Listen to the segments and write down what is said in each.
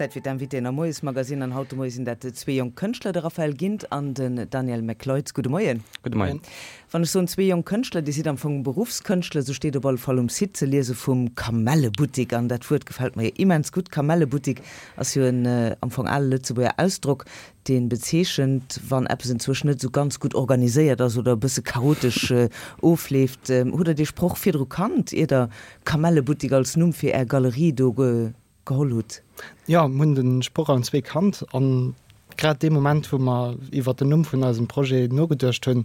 Zäit fir d'Invitéen am Moiesmagazine an haut de Moie sinn dat zwee jonk Kënschtler, de Raphael Gindt an den Daniel McLeod. Gudde Moien. Gudde Moien. Wann ech soen zwee jonk Kënschtler, Dir sidd am Fong Beruffskënschtler, sou steet op alle Fall um Site ze liese vum Kamellebuttik an dat Wuert gefält mer jo immens gutt. Kamellebuttik ass jo en am Fong ale Lëtzebuerger Ausdrock, dee bezeechent, wann eppes enzwousch net esou ganz gutt organiséiert ass oder e bësse chaotesch ofleeft. Hutt Der dee Sproch virdru kannt, ier Der Kamellebuttik als Numm fir Är Galerie do geholl hutt? Jo, mir hunn de Sproch allen zwee kannt an grad dee Moment, wou mer iwwert den Numm vun eisem Projet nogeduecht hunn,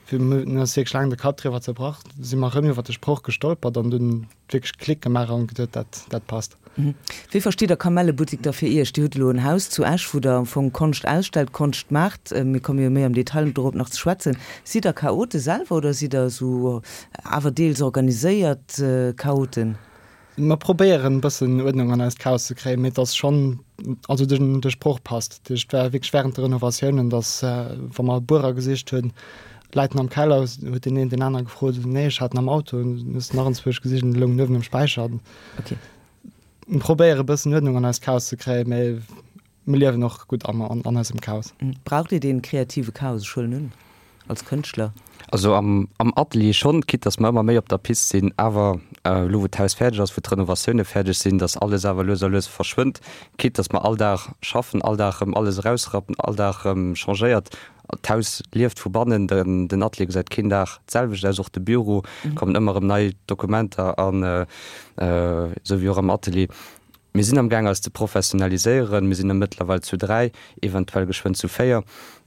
mir hunn eis wierklech laang de Kapp driwwer zerbrach, si mer erëm iwwert de Sproch gestolpert an dunn wierklech Klick gemaach an geduet, dat, dat passt. Wéi verstitt Der Kamellebuttik da fir Iech? Dir hutt elo en Haus zu Esch, wou Der am Fong Konscht ausstellt, Konscht maacht. Mir komme jo méi am Detail dorop nach ze schwätzen. Sidd Der Chaote selwer oder sidd Der esou awer deels organiséiert Chaoten? Mer probéieren e bëssen Uerdnung an eist Chaos ze kréien, mee et ass schonn, also den de Sproch passt. Dat heescht, et war wierklech wärend de Renovatiounen, datt wa mer Buerer gesicht hunn, läit en am Keller, huet deen een deen aner gefrot, nee ech hat en am Auto, dann hues de nach enzwousch gesicht an e loung uewen um Späicher. Okay. Mer probéiere e bëssen Uerdnung an eist Chaos ze kréien, mee Mir liewen och gutt am an eisem Chaos. Braucht Dir dee kreative Chaos? Ech huelen un, als Kënschtler. Also am am Atelier schonn, quitte dass mer ëmmer méi op der Pist sinn, awer elo wou d'Haus fäerdeg ass, wou d'Renovatioune fäerdeg sinn, dass alles awer lues a lues verschwënnt, quitte dass mer all Dag schaffen, all Dag erëm alles erausrappen, all Dag erëm changéiert. D'Haus lieft vu bannen, den den Atelier gesäit keen Dag d'selwecht aus, och de Büro, kommen ëmmer erëm nei Dokumenter an, esou wéi och am Atelier. Mir sinn am Gaang eis ze professionaliséieren. Mir sinn der mëttlerweil zu 3, eventuell geschwënn zu 4,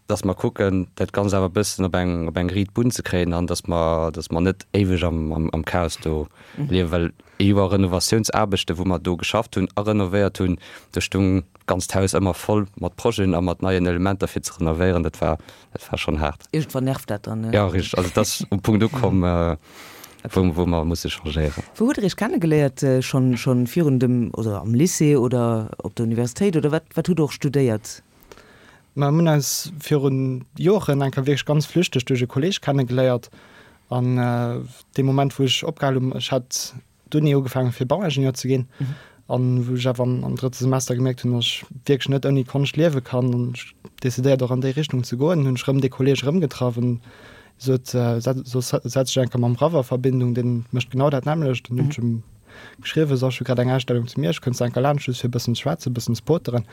dass mer kucken, dat Ganzt awer e bëssen op eng, op eng riit Bunn ze kréien an dass mer, dass mer net éiweg am, am, am Chaos do liewen. Well ee Joer Renovatiounsaarbechten, wou mer do geschafft hunn a renovéiert hunn, do stung d'ganzt Haus ëmmer voll mat Projeten a mat neien Elementer fir ze renovéieren. Dat war, Dat war schon haart. Iergendwann nervt dat dann, ne? Jo, richteg. Also et ass um Punkt ukomm, wou wou mer musse changéieren. Wou hutt Der Iech kennegeléiert? Schonn schonn virun dem, oder am Lycée oder op der Universitéit oder wat wat hutt Der och studéiert? Mer hunn eis virun Joren eng Kéier wierklech ganz flüchteg duerch e Kolleeg kennegeléiert an dee Moment wou ech opgehal hunn, ech hat D'Uni ugefaangen fir Bauingenieur ze ginn an wou ech awer am drëtte Semester gemierkt hunn, dass ech wierklech net ouni Konscht liewe kann an ech decidéiert och an déi Richtung ze goen, hunn ech rëm dee Kolleeg erëmgetraff an sot, soss setz dech eng Kéier mam Raff a Verbindung, deen mécht genau dat nämmlecht. Dann hunn ech em geschriwwen, so ech hu grad eng Ausstellung zu Miersch, kënns de eng Kéier laanscht just fir e bëssen ze schwätzen, e bëssen ze poteren.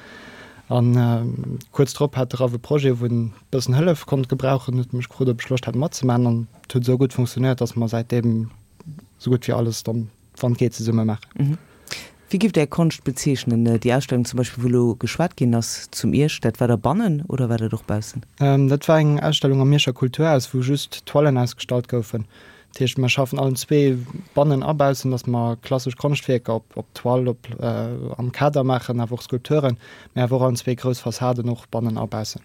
An kuerz drop hat de Raff e Projet, wou en e bëssen Hëllef konnt gebrauchen, huet mech gefrot, ob ech Loscht hätt matzemaachen an et huet esou gutt funktionéiert, dass mer säitdeem sou gutt wéi alles dann, wann et geet, zesumme maachen. Wéi giff Der Är Konscht bezeechnen? Déi Ausstellung zum Beispill, wou elo geschwat ginn ass zum Miersch, dat war da bannen oder war dat och baussen? Dat war eng Ausstellung am Mierscher Kulturhaus, wou just Toilen ausgestallt goufen. Dat heescht, mer schaffen allen zwee bannen a baussen, datt mer klassesch Konschtwierker op op Toile, op am Kader maachen, awer och Skulpturen, mä awer och allen zwee grouss Fassaden och bannen a baussen.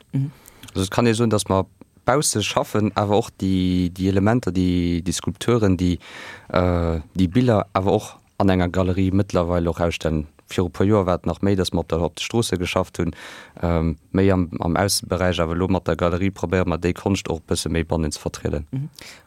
Also et kann ee soen, datt mer Bausse schaffen awer och déi Elementer, déi Skulpturen, déi Biller awer och an enger Galerie mëttlerweil och ausstellen. Viru puer Joer war et nach méi, datt mer op de Stroosse geschafft hunn, méi am Ausseberäich. Awer elo mat der Galerie probéiere mer déi Konscht och e bësse méi bannen ze vertrieden.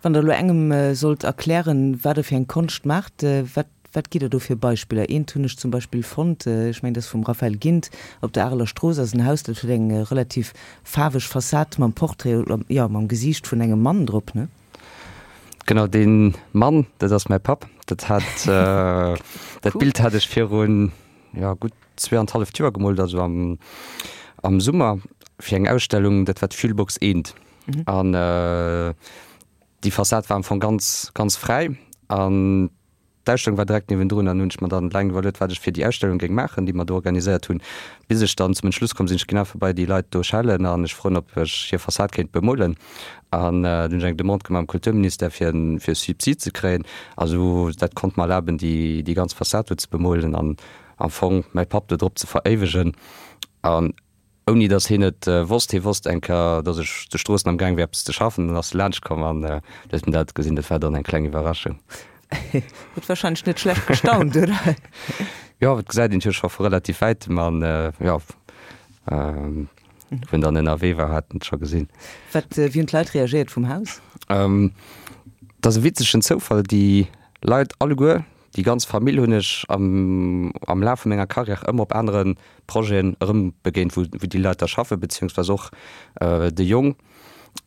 Wann Der elo engem sollt erklären, wat Der fir eng Konscht maacht, wat Wat gitt der do fir Beispiller? Eent hunn ech zum Beispill fonnt, ech mengen, dat ass vum Raphaël Gindt, op der Areler Strooss ass en Haus, dat huet eng relativ faarweg Fassad mam Portrait, oder jo, mam Gesiicht vun engem Mann drop, ne? Genau, dee Mann, dat ass mäi Papp. Dat hat, dat Bild hat ech virun, jo, gutt zweeanenhalleft Joer gemoolt, also am, am Summer, fir eng Ausstellung, dat war d'Fuelbox Eent. An déi Fassad war am Fong ganz, ganz fräi an D'Ausstellung war direkt niewendrun an hunn ech mer dann laang iwwerluet, wat ech fir déi Ausstellung géing maachen, déi mer do organiséiert hunn, bis ech dann zum Entschluss komm sinn, ech ginn einfach bei déi Leit do schellen an ech froen, ob ech hir Fassad kéint bemolen. An dunn hunn ech eng Demande gemaach am Kulturministère, fir en fir e Subsid ze kréien. A sou dat konnt mer erlaben, déi déi ganz Fassad do ze bemolen an am Fong mäi Papp do drop ze veréiwegen. An Ouni dass hien et wosst. Hie wosst eng Kéier, dass ech zu Stroossen am Gaang wier eppes ze schaffen. Dann ass e laanscht komm an huet mir dat gesinn. Dat war dann eng kleng Iwwerraschung. Huet wahrscheinlech net schlecht gestaunt, oder? Jo, et gesäit een jo scho vu relativ wäitem an jo, wou en dann ënnerwee war, hat en et scho gesinn. Wat, wéi hunn d'Leit reagéiert vum Haus? Et ass e witzegen Zoufall, déi Leit alleguer. Déi ganz Famill hunn ech am am Laf vu menger Carrière ëmmer op anere Projeten erëm begéint, wou wou déi Leit da schaffen, beziehungsweise och de Jong,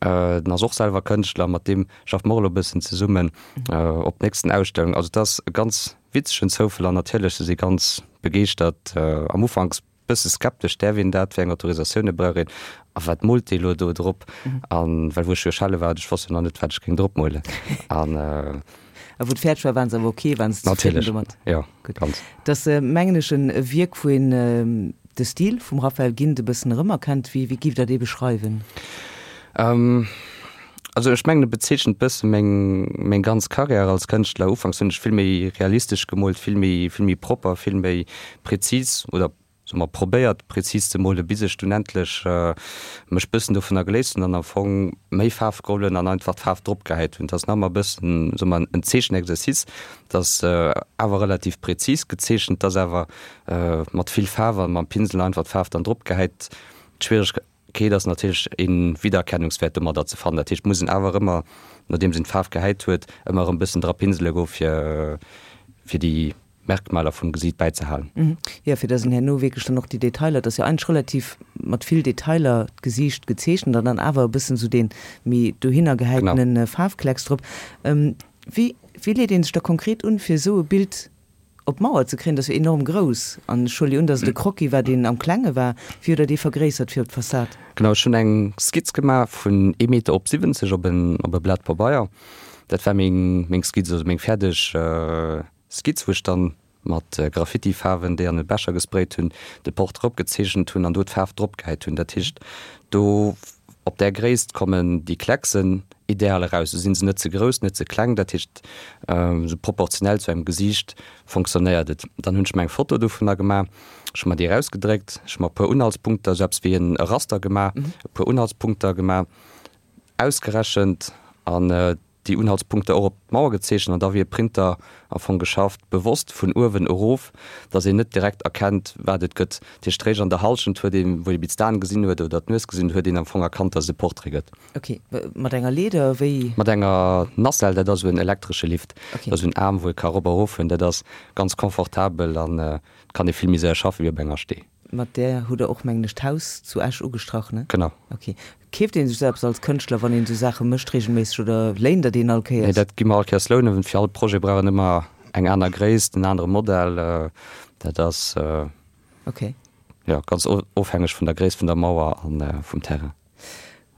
den ass och selwer Kënschtler, mat deem schaffe mer och elo e bëssen zesummen op nächsten Ausstellung. Also et ass e ganz witzegen Zoufall an natierlech se si ganz begeeschtert. Am Ufanks Bësse skeptesch, däerf een dat, wéi eng Autorisatioune brauch een a wat moolt dee elo do drop? An well wou ech jo schelle war, ech wosst jo nach net, wat ech géing drop molen. An. A wou et fäerdeg war, waren se awer ok, waren se zefridden domat? Natierlech, jo, Gutt. ganz. Et ass, mengen ech, en Wierk, wou een de Stil vum Raphael Gindt e bëssen erëmerkennt. Wéi, wéi giff Der dee beschreiwen? Also ech mengen e bezeechent bësse meng, meng ganz Carrière als Kënschtler. Ufanks hunn ech vill méi realistesch gemoolt, vill méi, vill méi propper, vill méi prezis oder soe mer probéiert prezis ze molen, bis ech dunn endlech mech bëssen dovunner geléist hunn an am Fong méi Faarf geholl hunn an einfach d'Faarf drop gehäit hunn. Et ass nach ëmmer e bëssen, soe mer, en Zeechenexercice, et ass awer relativ prezis gezeechent, et ass awer mat vill Faarf an mam Pinsel einfach d'Faarf dann drop gehäit. D'Schwieregkeet. Keet ass natierlech een Wiedererkennungswäert domadder ze fannen. Dat heescht, muss een awer ëmmer, nodeems een d'Faarf gehäit huet, ëmmer erëm bëssen dra pinsele goen, fir fir déi Merkmaler vum Gesiit bäizehalen. Jo, fir dass een herno wierklech dann och déi Detailer, et ass jo eigentlech relativ mat vill Detailer d'Gesiicht gezeechent an dann awer e bëssen esou dee méi dohinner gehäitene Faarfklecks drop. Wéi wéi leet ee sech da konkret un, fir esou e Bild Op d'Mauer ze kréien, dat ass jo enorm grouss. An ech huele jo un, datt et e Croquis war, deen am Klenge war. Wéi huet Der dee vergréissert fir op d'Fassad? Genau, ech hunn eng Skizz gemaach vun ee Meter op 70 op en op e Blat Pabeier. Dat war meng meng Skizz, also meng fäerdeg Skizz, wou ech dann mat Graffiti-Faarwen, déi an e Becher gesprayt hunn, de Portrait opgezeechent hunn an do d'Faarf drop gehäit hunn. Dat heescht, do op där Gréisst kommen déi Klecksen ideal eraus. Sou sinn se net ze grouss, net ze kleng, dat heescht sou proportionell zu engem Gesiicht fonctionnéiert et. Dann hunn ech mer eng Foto dovunner gemaach, ech hu mer déi erausgedréckt, ech hu mer e puer Unhaltspunkter, sou eppes wéi en Raster gemaach, e puer Unhaltspunkter gemaach, ausgerechent an déi Unhaltspunkter och op d'Mauer gezeechent an da wéi e Printer am Fong geschafft, bewosst vun uewen erof, dass een net direkt erkennt, wat et gëtt. Dat heescht, réischt an der Hallschent huet een, wou ee bis d'Aen gesinn huet oder d'Nues gesinn huet, huet een am Fong erkannt, dass et e Portrait gëtt. Ok, mat enger Leeder, wéi? Mat enger Nacelle, dat ass esou en elektresche Lift. Ok. Dat ass esou en Aarm, wou ee ka erop a erof fueren. Dat ass ganz confortabel an et kann ee vill méi séier schaffe wéi op enger Stee. Mat där hutt Der och, mengen ech, d'Haus zu Esch ugestrach, ne? Genau. Ok. Keeft ee sech esou eppes als Kënschtler, wann een esou Saache mécht, reegelméisseg oder léint Der deen all Kéiers? Nee, dat gi mer all Kéiers lounen. Fir all Projet brauch een ëmmer eng aner Gréisst, en anere Modell. Dat ass. Ok. Jo, ganz ofhängeg vun der Gréisst vun der Mauer a vum Terrain.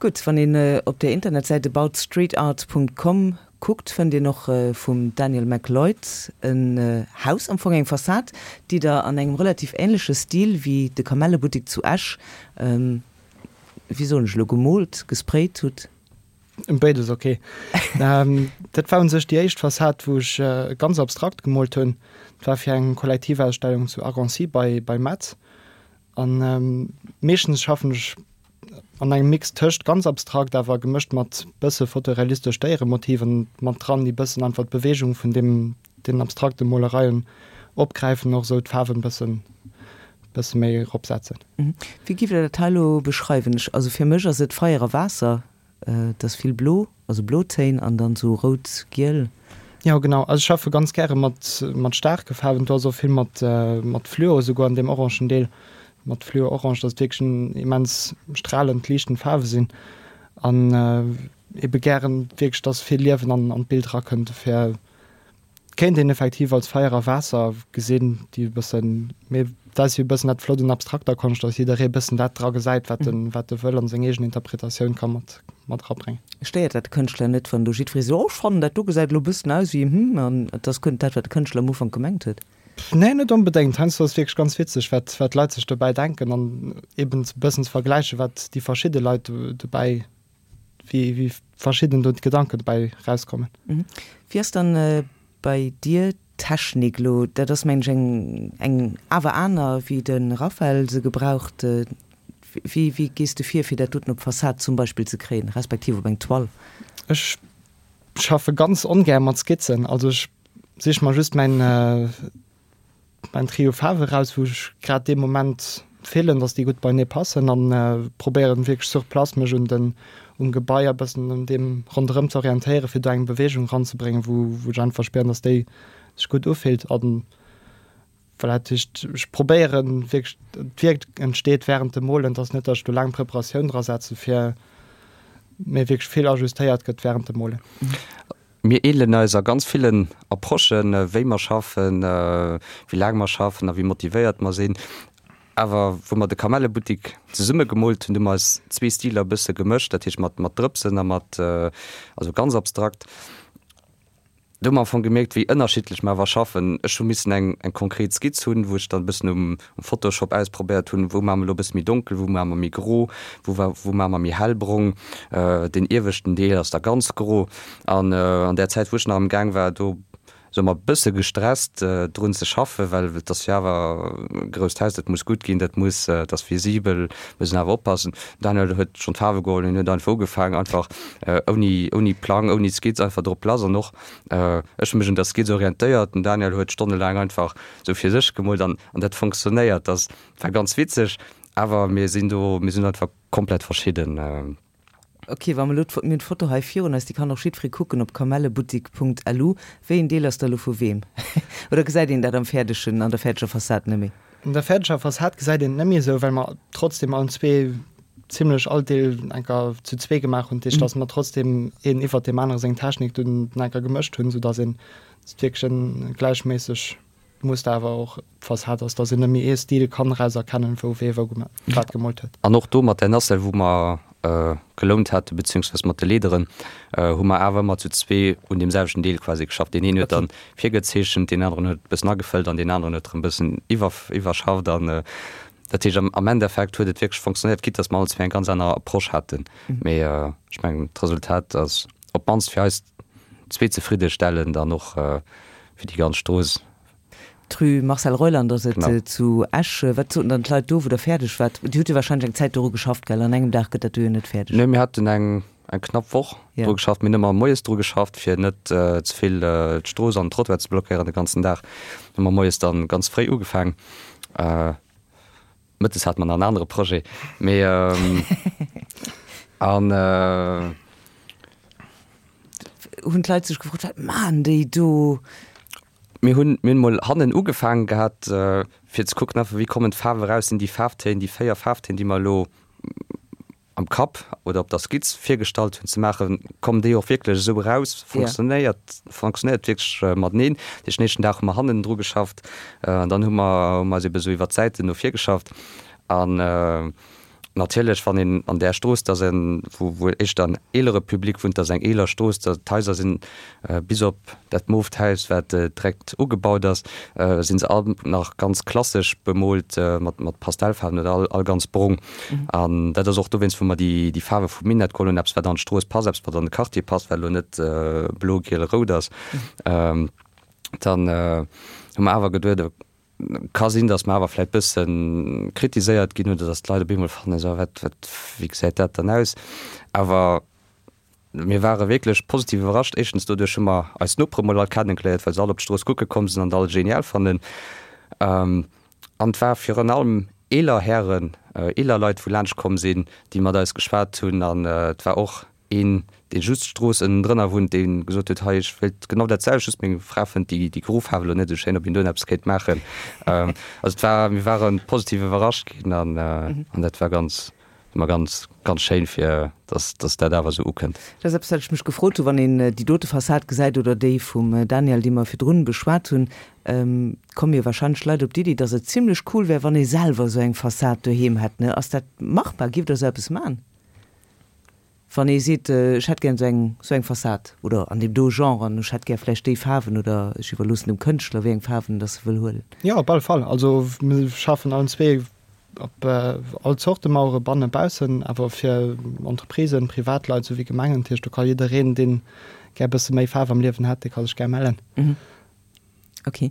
Gutt, wann een op der Internetsäit aboutstreetart.com kuckt, fënnt een och vum Daniel MacLeod en Haus, am Fong eng Fassad, déi der an engem relativ änleche Stil wéi de Kamellebuttek zu Esch, wéi soen ech elo, gemoolt, gesprayt hutt. Béides ok. Dat war un sech déi éischt Fassad, wou ech ganz abstrakt gemoolt hunn. Dat war fir eng Kollektivausstellung zu Argancy bei Metz. An meeschtens schaffen ech an engem Mix tëscht ganz abstrakt awer gemëscht mat bësse fotorealistesch Déieremotiven mat dran, déi bëssen einfach d'Beweegung vun deem den abstrakte Molereien opgräifen, och esou d'Faarwen bëssen bësse méi eropsetzen. Wéi giff der dat hei elo beschreiwen? Ech, also fir mech ass et Feier a Waasser. Et ass vill blo, also Blotéin an dann sou rout, giel. Jo genau, also ech schaffe ganz gäre mat mat staarke Faarwen, do ass och vill mat mat Fluo esouguer an deem orangen Deel, mat Fluo-Orange, dass et wierklech en immens stralend, liichtend Faarwe sinn an ebe gären wierklech, dass vill Liewen an an d'Bild erakënnt, dofir Kéint een effektiv als Feier a Waasser gesinn, déi e bëssen, mee dat ass jo e bëssen dat Flott un abstrakter Konscht, datt jidderee e bëssen dat dra gesäit, wat en, wat e wëll an seng eegen Interpretatioun ka mat, mat erabréngen. Stéiert dat de Kënschtler net, wann do jiddweree seet, oh ech fannen dat do gesäit elo e bëssen aus wéi hm, an et ass guer net dat, wat de Kënschtler am Ufank gemengt huet? Nee, net onbedéngt. Heiansdo ass et wierklech ganz witzeg, wat, wat d'Leit sech dobäi denken an eben e bëssen ze vergläichen, wat déi verschidde Leit dobäi wéi wéi verschidden do d'Gedanken dobäi rauskommen. Wéi ass dann bei dir d'Technik elo? Dat ass mengen ech eng eng awer aner wéi de Raphael se gebraucht. Wéi wéi gees de vir fir dat doten op d'Fassad zum Beispill ze kréien, respektiv op eng Toile? Ech schaffe ganz ongär mat Skizzen, also ech sich mer just mäin Mäin Trio Faarwe raus, wou ech grad dee Moment fillen, dass déi gutt beinee passen an probéieren wierklech sur place mech un den um Gebai a bëssen un deem ronderëm ze orientéieren, fir do eng Beweegung ranzebréngen, wou wou ech einfach spieren, dass déi. sech gutt ufillt an voilà, dat heescht ech probéieren wierklech d'Wierk entsteet wärend dem Molen, et ass net, datt ech do laang Preparatioun dra setze fir, mee wierklech vill ajustéiert gëtt wärend dem Molen. Mir ähnelen eis a ganz villen Approchen, wéi mer schaffen, wéi laang mer schaffen a wéi motivéiert mer sinn. Awer wou mer de Kamellebuttik zesumme gemoolt hunn, hu mer eis zwee Stiler e bësse gemëscht, dat heescht mat Drëpsen a mat, also ganz abstrakt. Do hu mer am Fong gemierkt, wéi ënnerschiddlech mer awer schaffen. Ech hu missen eng eng konkret Skizz hunn, wou ech dann e bëssen um um Photoshop ausprobéiert hunn, wou maache mer elo e bësse méi donkel, wou maache mer méi gro, wou wa wou maache mer méi hellbrong. Deen ieweschten Deel ass da ganz gro. An an där Zäit, wou ech nach am Gaang war, do soe mer, e bësse gestresst drun ze schaffen, well et ass jo awer e grousst Haus, dat muss gutt ginn, dat muss, dat ass visibel, muss een awer oppassen. Den Daniel huet schonn d'Faarwe geholl, hien huet einfach ugefaangen, einfach ouni, ouni Plang, ouni Skizz, einfach drop lass. An och ech hu mech un der Skizz orientéiert, den Daniel huet stonnelaang einfach sou fir sech gemoolt an dat funktionéiert. Dat war ganz witzeg, awer mir sinn do, mir sinn einfach komplett verschidden. Ok, wa mer elo, mir hunn d'Foto hei virun eis, déi kann och jiddweree kucken op kamelleboutique.lu. Wéi een Deel ass da elo vu weem? Oder gesäit een dat am fäerdegen, an der fäerdeger Fassad net méi? An der fäerdeger Fassad gesäit een et net méi esou, well mer trotzdem allen zwee zimlech all Deel enker zu zwee gemaach hunn. Dat heescht, datt mer trotzdem een iwwert deem anere seng Technik dunn enker gemëscht hunn, soudatt een et wierklech en gläichméisseg Muster awer och d'Fassad ass, dass een net méi ee Stil kann eraus erkennen, wou wee wou wat gemoolt huet. An och do mat där Nacelle, wou mer gelount haten, beziehungsweise mat de Leederen, hu mer awer ëmmer zu zwee un deem selwechten Deel quasi geschafft. Deen een huet dann virgezeechent, deen aneren huet e bëssen agefëllt an deen aneren huet erëm e bëssen iwwerschafft. An dat heescht, am Endeffekt huet et wierklech fonctionnéiert, quitte dass mer allen zwee eng ganz aner Approche haten. Mee ech mengen, d'Resultat ass op d'mannst fir eis zwee zefriddestellend an och fir déi ganz Strooss. D'Rue Marcel Reuland ass et zu Esch. Wat soten dann d'Leit do, wou Der fäerdeg waart? Dir hutt jo warscheinlech eng Zäit doru geschafft, gell? An engem Dag gëtt dat do jo net fäerdeg. Nee, mir haten eng eng knapp Woch dru geschafft. Mir hunn ëmmer moies dru geschafft, fir net ze vill d'Strooss an den Trottoir ze blockéieren de ganzen Dag. Hu mer moies dann ganz fréi ugefaang. Mëttes hate mer nach en anere Projet, mee an. Hunn d'Leit sech gefrot, wat maachen déi do? Mir hunn, mir hunn mol hannen ugefaangen gehat, fir ze kucken einfach, wéi kommen d'Faarwe raus, sinn déi Faarftéin, déi 4 Faarftéin, déi mer elo am Kapp oder op der Skizz virgestallt hunn, ze maachen, kommen déi och wierklech esou eraus, funktionéiert, funktionéiert wierklech mateneen. Dat heescht, den éischten Dag hu mer hannen dru geschafft an dann hu mer, hu mer eis ebe sou iwwer d'Säiten no vir geschafft. An natierlech, wann een an där Strooss, dat ass en, wou, wou éischter en eelere Public wunnt, dat ass eng eeler Strooss, da d'Haiser sinn bis op dat mooft Haus, wat direkt ugebaut ass, si se all nach ganz klassesch bemoolt mat mat Pastellfaarwen oder all all ganz brong. An dat ass och dowéinst, wou mer déi déi Faarwe vum Minett geholl hunn, eppes wat an d'Strooss passt, eppes wat an de Quartier passt, wat elo net blo, giel, rout ass. Dann hu mer awer geduet, ka sinn, datt mer awer vläicht bësse kritiséiert ginn oder datt d'Leit op eemol fannen, esou wat wat wéi gesäit dat dann aus? Awer Mir ware wierklech positiv iwwerrascht. Éischtens doduerch hu mer eis Nopere mol all kennengeléiert, well se all op d'Strooss kucke komm sinn an et all genial fannen. An et war virun allem eeler Hären, eeler Leit, wou laanscht komm sinn, déi mat eis geschwat hunn. An et war och een, dee just d'Strooss ënnendrënner wunnt, dee gesot huet, hei ech wéilt genau dat selwecht, just meng Fra fënnt déi déi gro Faarf elo net esou schéin, ob een do eppes kéint maachen. Also et war, mir ware positiv iwwerrascht ginn an dat war ganz, Ëmmer ganz, ganz schéin fir dass, dass dat awer esou ukënnt. Dat ass eppes, wat ech mech gefrot hunn, wann een déi dote Fassad gesäit oder déi vum Daniel, déi mer virdrun beschwat hunn, komme jo wahrscheinlech Leit op d'Iddi, dass et zimlech cool wär, wann ee selwer esou eng Fassad doheem hätt, ne? Ass dat machbar? Giff Der esou eppes man? Wann ee seet, ech hätt gär esou eng, esou eng Fassad oder an deem do Genre an ech hätt gär vläicht déi Faarwen oder ech iwwerloossen dem Kënschtler, wéi eng Faarwen dass e wëll huelen. Jo, op alle Fall. Also mir schaffen allen zwee Op all Zorte Mauere, bannen, baussen, awer fir Entreprisen, Privatleit souwéi Gemengen. Dat heescht, do ka jiddereen, deen gär e bësse méi Faarf am Liewen hätt, dee ka sech gär mellen. Ok.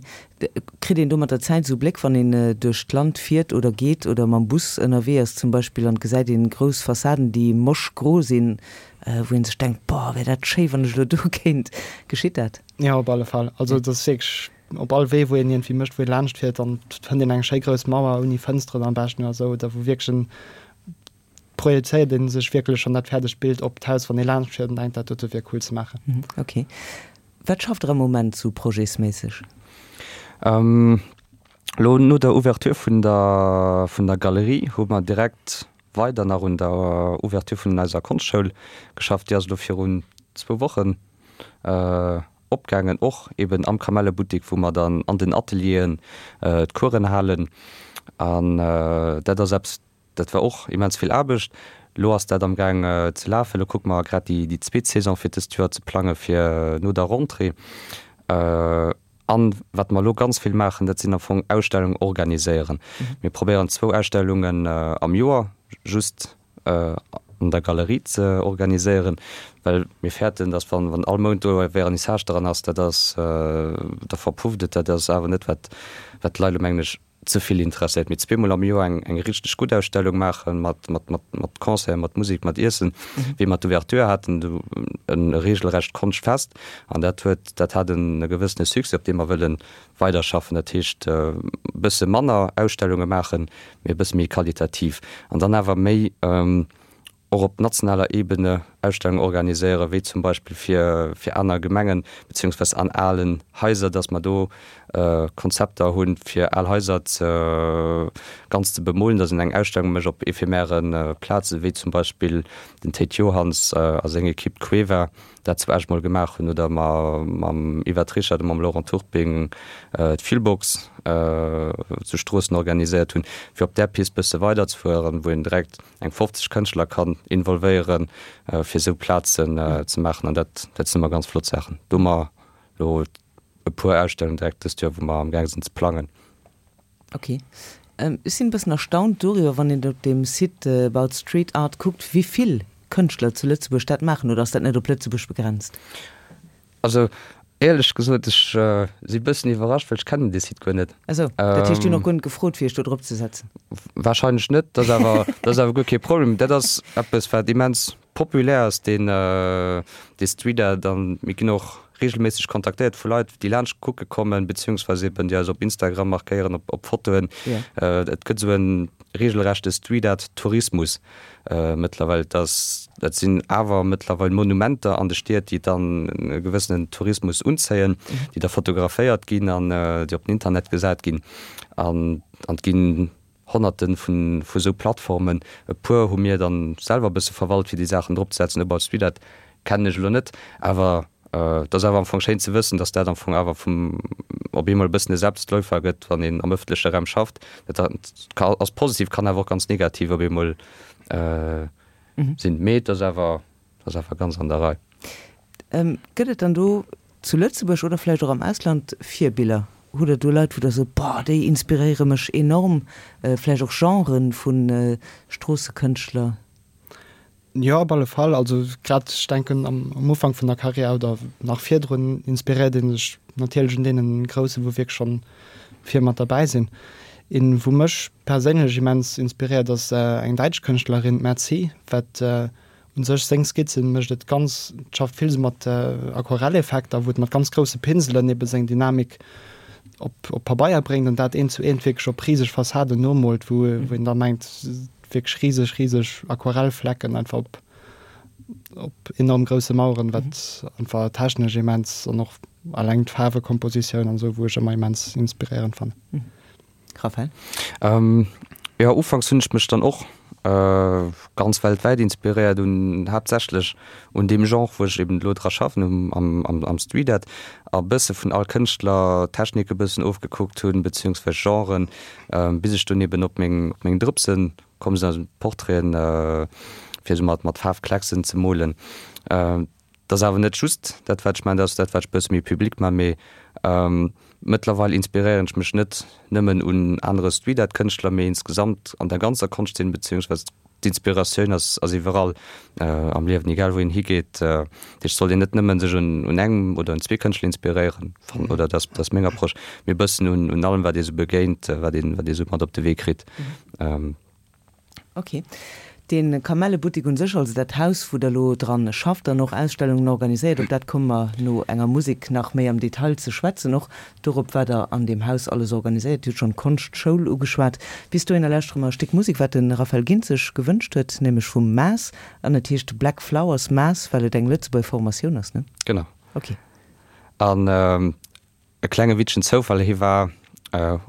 Kritt een do mat der Zäit esou Bléck, wann een duerch d'Land fiert oder geet oder mam Bus ënnerwee ass zum Beispill an et gesäit een grouss Fassaden, déi moschgro sinn, wou een sech denkt, Boah, wär dat schéi, wann ech elo do kéint. Geschitt dat? Jo, op alle Fall. Also et ass wierklech Op all Wee, wou een iergendwéi mécht, wou ee laanscht fiert, dann fënnt een eng schéi grouss Mauer ouni Fënsteren am beschten oder esou, oder wou wierklech en, projezéiert ee sech wierklech schonn dat fäerdegt Bild op d'Haus, wann ee laanscht fiert an denkt, dat dote wier cool ze maachen. Ok. Wat schafft Der am Moment sou projetsméisseg? Elo no der Ouverture vun der vun der Galerie hu mer direkt weider nach un der Ouverture vun eiser Konschtschoul geschafft. Déi ass elo virun zwou Wochen opgaangen, och eben am Kamellebuttek, wou mer dann an den Atelieren d'Coursen halen. An dat ass eppes, Dat war och immens vill Aarbecht. Elo ass dat am Gaang ze lafen. Elo kucke mer grad déi zweet Saison fir dëst Joer ze plange fir no der Rentrée. An wat mer elo ganz vill maachen, dat sinn am Fong Ausstellungen organiséieren. Mir probéieren zwou Ausstellungen am Joer just an der Galerie ze organiséieren, well mir fäerten, datt wann all Mount do e Vernissage dran ass, dat ass, da verpufft et. Dat ass awer net wat d'Leit elo mengen ech ze vill interesséiert, mee zweemol am Joer eng eng richteg gutt Ausstellung maachen, mat mat mat mat Concert, mat Musek, mat Iessen, wéi mer d'Ouverture haten, do e regelrecht Konschtfest an dat huet dat hat en e gewëssene Succès, op deem mer wëlle weiderschaffen. Dat heescht e bësse manner Ausstellunge maachen, mee e bësse méi qualitativ an dann awer méi och op nationaler Ebene Ausstellungen organiséieren, wéi zum Beispill fir fir aner Gemengen, beziehungsweise an alen Haiser, dass mer do Konzepter hunn, fir al Haiser ze ganz ze bemolen, dass een eng Ausstellung mécht op ephemäre Plazen, wéi zum Beispill den Théid Johanns a seng Equipe d'Cueva dat zu Esch mol gemaach hunn, oder mer mam Yvette Richard a mam Laurent Turping d'Feelbox zu Stroossen organiséiert hunn, fir op där Pist bësse weiderzefueren, wou een direkt eng 50 Kënschtler kann involvéieren, fir esou Plazen ze maachen. An dat, dat sinn ëmmer ganz flott Saachen. Do hu mer elo e puer Ausstellungen direkt dëst Joer, wou mer am gaang sinn ze plangen. Ok. Ech sinn e bëssen erstaunt doriwwer, wann een op deem Site About Street Art kuckt, wéi vill Kënschtler zu Lëtzebuerg dat maachen. Oder ass dat net op Lëtzebuerg begrenzt? Also éierlech gesot, ech si bëssen iwwerrascht, well ech kennen dee Site guer net. Ah sou, dat heescht, dir hunn och guer net gefrot, fir iech do drop ze setzen? Wahrscheinlech net, dat ass awer, dat ass awer guer kee Problem. Dat ass eppes, wat immens populär ass, deen, dee Street Art. An mir ginn och reegelméisseg kontaktéiert vu Leit, déi laanscht kucke kommen, beziehungsweise eben déi eis op Instagram markéieren, op, op Fotoen. Et gëtt esou e reegelrechte Street Art Tourismus. Mëttlerweil, dass dat sinn awer mëttlerweil Monumenter an de Stied, déi dann e gewëssenen Tourismus unzéien, déi da fotograféiert ginn an déi op den Internet gesat ginn. An et ginn Honnerte vun vu sou Plattformen. E puer hu mir dann selwer e bësse verwalt, fir déi Saachen drop ze setzen. About Street Art kennen ech elo net, awer et ass awer am Fong schéin ze wëssen, dass dat am Fong awer vum op eemol e bëssen e Selbstläufer gëtt, wann een am ëffentleche Raum schafft. Dat ass positiv, kann awer och ganz negativ op eemol sinn. Mee et ass awer, ass awer ganz an der Rei. Gëtt et dann do zu Lëtzebuerg oder vläicht och am Ausland Virbiller? Hutt Der do Leit, wou Der sot, boah, déi inspiréiere mech enorm, vläicht och Genren vu Stroossekënschtler? Jo, op alle Fall. Also grad, ech denken am Ufank vun der Karriär oder nach virdrun inspiréiert ee sech natierlech un deenen Groussen, wou wierklech schonn vir mat derbäi sinn. Een, wou mech perséinlech immens inspiréiert, ass eng däitsch Kënschtlerin, d'Merzi, wat u sech seng Skizzen mécht et ganz, schafft vill esou mat Aquarelleffekter, wou et mat ganz grousse Pinselen ebe seng Dynamik op op Pabeier bréngt an dat eent zu eent wierklech op riseg Fassaden nomoolt, wou een da mengt, Wierklech riseg, riseg Aquarellflecken einfach op, op enorm grousse Maueren, wat einfach technesch immens an och alleng d'Faarwekompositioun an esou, wou ech ëmmer immens inspiréierend fannen. Raphael? Jo, ufanks hunn ech mech dann och ganz weltwäit inspiréiert, un haaptsächlech un deem Genre, wou ech eben elo dra schaffen, um am am Street Art, a bësse vun all Kënschtler Technike bëssen ofgekuckt hunn, beziehungsweise Genren, Bis ech dunn eben op meng op meng Drëpsen komm sinn, also Portraiten, fir esou mat mat Faarfklecksen ze molen. Dat ass awer net just dat wat ech maachen, dat ass dat wat ech bësse méi public maachen, mee mëttlerweil inspiréieren ech mech net nëmmen un anere Street Art Kënschtler, mee insgesamt an der ganzer Konschtzeen, beziehungsweise D'Inspiratioun ass ass iwwerall am Liewen, egal wou een higeet. Dat heescht, sollt een net nëmmen sech un un engem oder un zwee Kënschtler inspiréieren, fannen, oder dat ass meng Approche, mee e bëssen un un allem wat ee sou begéint, wat een wat ee sou mat op de Wee kritt. Ok. De Kamellebuttek un sech, also dat Haus wou der elo dran schafft an och Ausstellungen organiséiert, op dat komme mer no enger Musek nach méi am Detail ze schwätzen, och Dorop wat der an deem Haus alles organiséiert. Dir hutt schonn d'Konschtschoul ugeschwat. Bis dohinner lauschtere mer e Stéck Musek, wat de Raphael Gindt sech gewënscht huet, nämlech vum Maas. An et heescht Black Flowers. Maas, well et eng Lëtzebuerger Formatioun ass, ne? Genau. Ok. An. E klenge witzegen Zoufall, hie war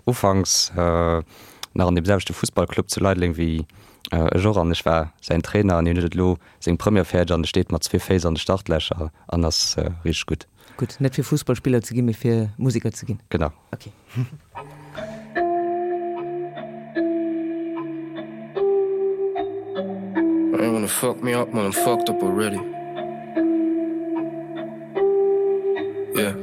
ufanks nach an deem selwechte Fussballclub zu Leideleng wéi ech och an ech war säin Trainer an hien huet et elo seng Première fäerdeg an e steet mat zwee Féiss an de Startlächer an ass richteg gutt. Gutt, net fir Fussballspiller ze ginn, mee fir Museker ze ginn. Genau. Ok. Fuck me up when I'm fucked up already. Yeah.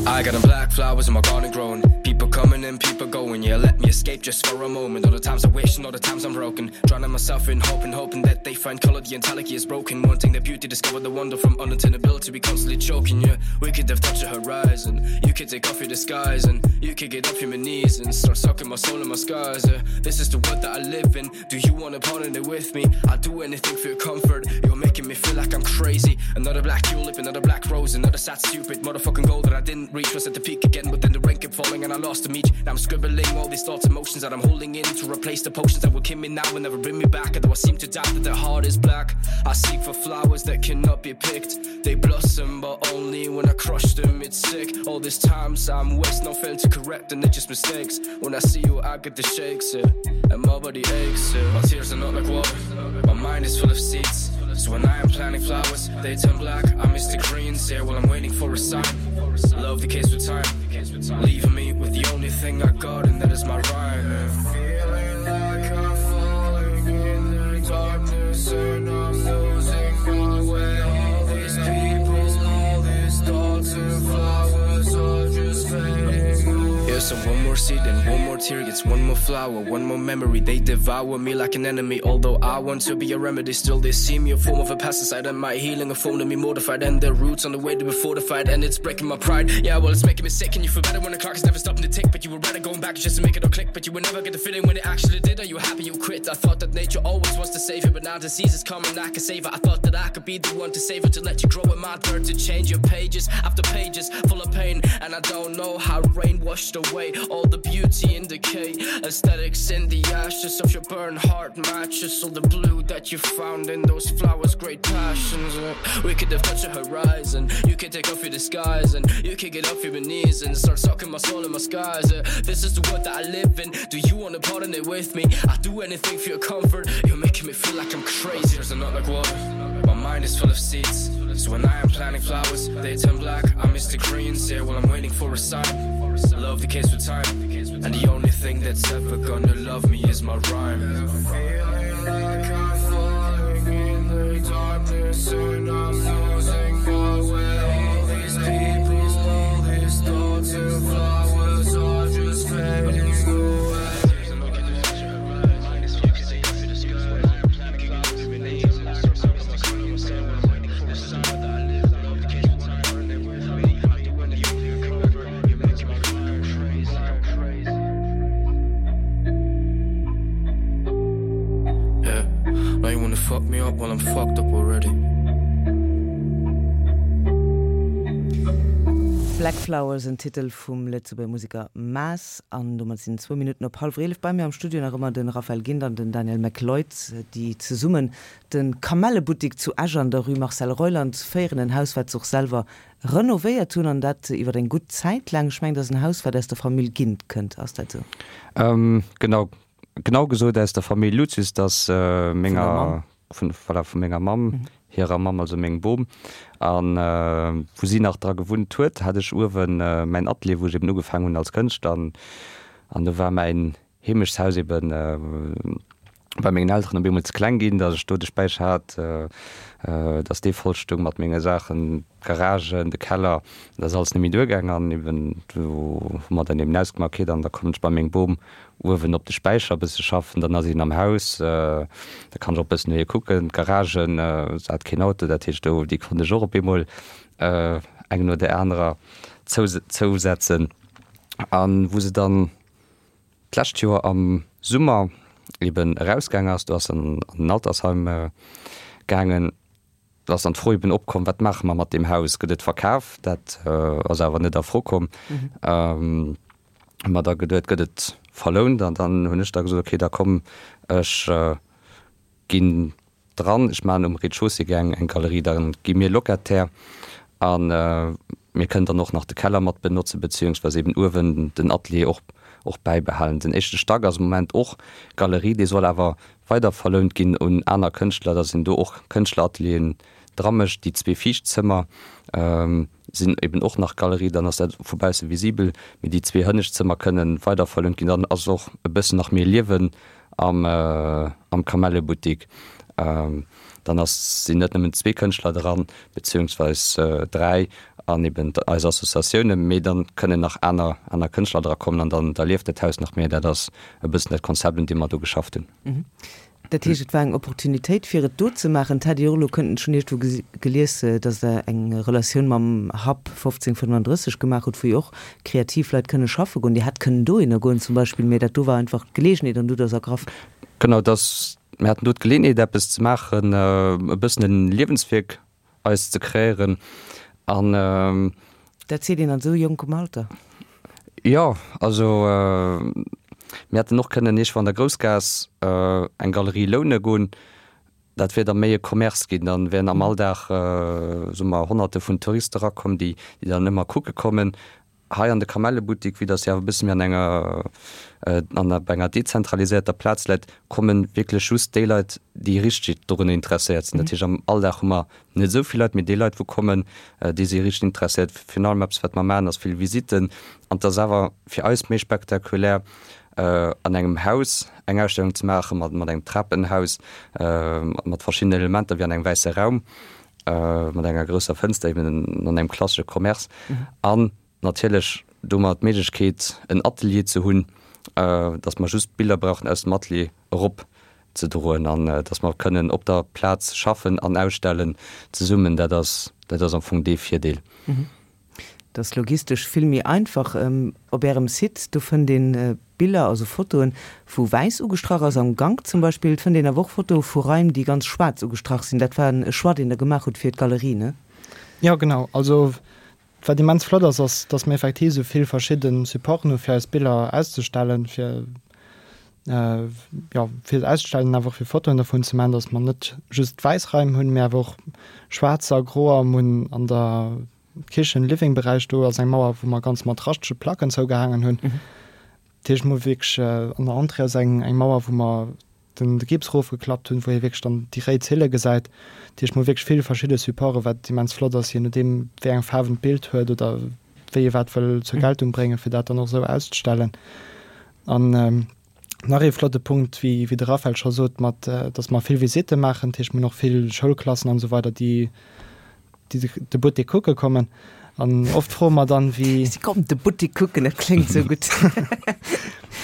I got them black flowers in my garden growing. People coming and people going. Yeah, let me escape just for a moment. All the times I wish and all the times I'm broken. Drowning myself in hope and hoping that they find color. The entirety is broken. Wanting the beauty, discover the wonder from unattainability. We constantly choking. Yeah, we could have touched the horizon. You could take off your disguise and you could get off your knees and start sucking my soul and my scars. Yeah, this is the world that I live in. Do you wanna part in it with me? I'd do anything for your comfort. You're making me feel like I'm crazy. Another black tulip, another black rose, another sad stupid motherfucking goal that I didn't reach was at the peak again, but then the rain kept falling and I lost the meat. Now I'm scribbling all these thoughts, emotions that I'm holding in to replace the potions that will kill me now and never bring me back. Although I seem to doubt that the heart is black. I seek for flowers that cannot be picked. They blossom, but only when I crush them. It's sick. All these times I'm wasting, no failing to correct and it's just mistakes. When I see you, I get the shakes, yeah. And my body aches, yeah. My tears are not like water. My mind is full of seeds. So when I am planting flowers, they turn black. I miss the greens, yeah. While I'm waiting for a sign. Love the case with time, leaving me with the only thing I got, and that is my rhyme. Yeah. Feeling like I'm falling in the darkness and I'm losing my way. All these people, all these thoughts and flowers are just fading away. Yeah, so one more seed and one more tear gets one more flower, one more memory. They devour me like an enemy. Although I want to be a remedy, still they see me a form of a pesticide and my healing a form to me mortified and their roots on the way to be fortified and it's breaking my pride. Yeah, well it's making me sick and you feel better when the clock is never stopping to tick, but you were rather going back just to make it all click, but you would never get the feeling when it actually did. Are you happy you quit? I thought that nature always was to save it, but now disease is coming. I can save it. I thought that I could be the one to save it to let you grow in my dirt to change your pages after pages full of pain and I don't know how rain washed away all the beauty in decay aesthetics in the ashes of your burned heart matches all the blue that you found in those flowers great passions uh, we could have touched a horizon you could take off your disguise and you could get off your knees and start sucking my soul in my skies uh, this is the world that I live in do you want to part in it with me I'd do anything for your comfort you're making me feel like I'm crazy there's not like water my mind is full of seeds so when I am planting flowers they turn black I miss the greens here while I'm waiting for a sign love the case with time and the only thing that's ever gonna love me is my rhyme feeling like I'm falling in the darkness and I'm losing my way all these people all these thoughts and flowers are just fading away Yeah, now you wanna fuck me up while I'm fucked up already. Black Flowers, en Titel vum Lëtzebuerger Museker Maas. An domat sinn zwou Minutten op hallwer 11. Bei mir am Studio nach ëmmer de Raphael Gindt an den Daniel McLeod, déi zesummen de Kamellebuttik zu Esch an der Rue Marcel Reuland féieren. En Haus, wat se och selwer renovéiert hunn, an dat iwwer eng gutt Zäit laang. Ech mengen, dat ass en Haus, wat aus der Famill Gindt kënnt. Ass dat esou? Genau, genau gesot aus der Famill Lucius, dat ass menger, vun, voilà, vu menger Mamm hirer Mamm, also mengem Bom. A wou si nach dra gewunnt huet, hat ech uewe mäin Atelier, wou ech eben ugefaangen hunn als Kënschtler. An do war mäin Heemechtshaus eben bei mengen Elteren op eemol ze kleng ginn, datt ech do de Späicher hat, datt dee voll stoung mat menge Saachen, d'Garagen, de Keller, dat ass alles net méi duergaang. An eben do hu mer dann eben ausgemaach, okay, dann da kommen ech bei meng Bom uewen op de Späicher e bësse schaffen, dann ass een am Haus, da kann ech och e bëssen no hir kucken. D'Garagen, se hat keen Auto, dat heescht do, déi konnt ech och op eemol eng no där anerer zousetzen. An wou se dann d'lescht Joer am Summer eben erausgaang ass, do ass se an den Altersheim gaangen, do ass dann d'Fro eben opkomm, wat maache mer mat deem Haus, gëtt et verkaf? Dat ass awer net a Fro komm. Hu mer da geduet, gëtt et verlount? An dann hunn ech da gesot, okay, da komm ech ginn dran, ech maachen um Rez-de-chaussée gär eng Galerie, da gi mir Locataire. A mir kënnen dann och nach de Keller mat benotzen, beziehungsweise eben uewen den Atelier och, och bäibehalen. Den éischte Stack ass am Moment och Galerie, dee soll awer weider verlount ginn un aner Kënschtler, dass een do och Kënschtleratelieren dra mécht. Déi zwee viischt Zëmmer sinn eben och nach Galerie, dann ass dat vu bausse visibel, mee déi zwee hënnescht Zëmmer kënnen weider verlount ginn. Dann ass och e bëssen nach méi Liewen am, am Kamellebuttik. Dann ass, sinn net nëmmen zwee Kënschtler dran, beziehungsweis dräi an eben eis Associatiounen, mee dann kënnen nach aner, aner Kënschtler dra kommen an dann, da lieft dat Haus nach méi. Dat ass e bëssen dat Konzept, un deem mer do geschafft hunn. Dat heescht, et war eng Opportunitéit, fir et do ze maachen. Et hätt ee och elo kënnten, ech hunn iergendwou gelies, datt Der eng Relatioun mam Hub 1535 gemaach hutt, wou jo och kreativ Leit kënne schaffe goen. Dir hätt kënnen dohinner goen zum Beispill, mee dat do war einfach d'Geleegenheet an du hutt der se ergraff. Genau, dass mir haten do d'Geleeënheet eppes ze maachen, e bëssen en Liewenswierk eis ze kreéieren an. Dat seet een an esou jonkem Alter. Jo, also mir hätten och kënnen iergendwou an der Groussgaass eng Galerie loune goen. Dat wier da méi e Commerce ginn. Dann wären am Alldag, soe mer, Honnerte vun Touriste erakomm, déi dann ëmmer kucke kommen. Hei an de Kamellebuttik, vue dass se awer e bësse méi an enger, an op enger dezentralisierter Plaz läit, komme wierklech just déi Leit, déi richteg dorunner interesséiert sinn. Dat heescht, am Alldag hu mer net esou vill Leit, mee déi Leit, wou kommen, déi si richteg interesséiert. Virun allem eppes, wat mer maachen, ass vill Visitten. An et ass awer fir eis méi spektakulär, an engem Haus eng Ausstellung ze maachen, mat engem Trapenhaus, mat verschiddenen Elementer, wéi an engem wäisse Raum. mat enger grousser Fënster, eben an engem klassesche Commerce an natierlech domat d'Méiglechkeet en Atelier ze hunn, dass mer just d'Biller brauchen aus dem Atelier erop ze droen an dass mer kënnen op der Plaz schaffen an ausstellen zesummen. Dat ass, dat ass am Fong dee Virdeel. Dat ass logistesch vill méi einfach. Op Ärem Site, do fënnt een Biller, also Fotoen, wou wäiss ugestrach ass, am Gank zum Beispill. Et fënnt een awer och Fotoe vu Raim, déi ganz schwaarz ugestrach sinn. Dat war e Choix, deen Der gemaach hutt fir d'Galerie, ne? Jo, genau. Also wat immens flott ass, ass, dass mir effektiv esou vill verschidde Supporten hu fir eis Biller auszestellen, fir jo, fir se auszestellen, awer och fir Fotoen dervun ze maachen, dass mer net just wäiss Raim hunn, mee awer och schwaarzer a groer. Mir hunn an der Kichen-Living-Beräich do ass eng Mauer, wou mer ganz mat raschtege Placken zougehaangen hunn. Dat heescht, mir hu wierklech an der Entrée ass eng eng Mauer, wou mer den de Gips erofgeklappt hunn, wou ee wierklech dann déi réi Zille gesäit. Dat heescht, mir hu wierklech vill verschidde Supporten, wat immens flott ass, je nodeem wéi eng Faarwen d'Bild huet oder wéi ee wat wëll zur Geltung bréngen, fir dat dann och esou auszestellen. An nach ee flotte Punkt, wéi wéi de Raphaël scho sot, mat datt mer vill Visitte maachen, dat heescht mir hunn och vill Schoulklassen an esou weider, déi déi de Buttek kucke kommen. An oft froe mer dann, wéi. Si kommen de Buttek kucken, dat kléngt esou gutt.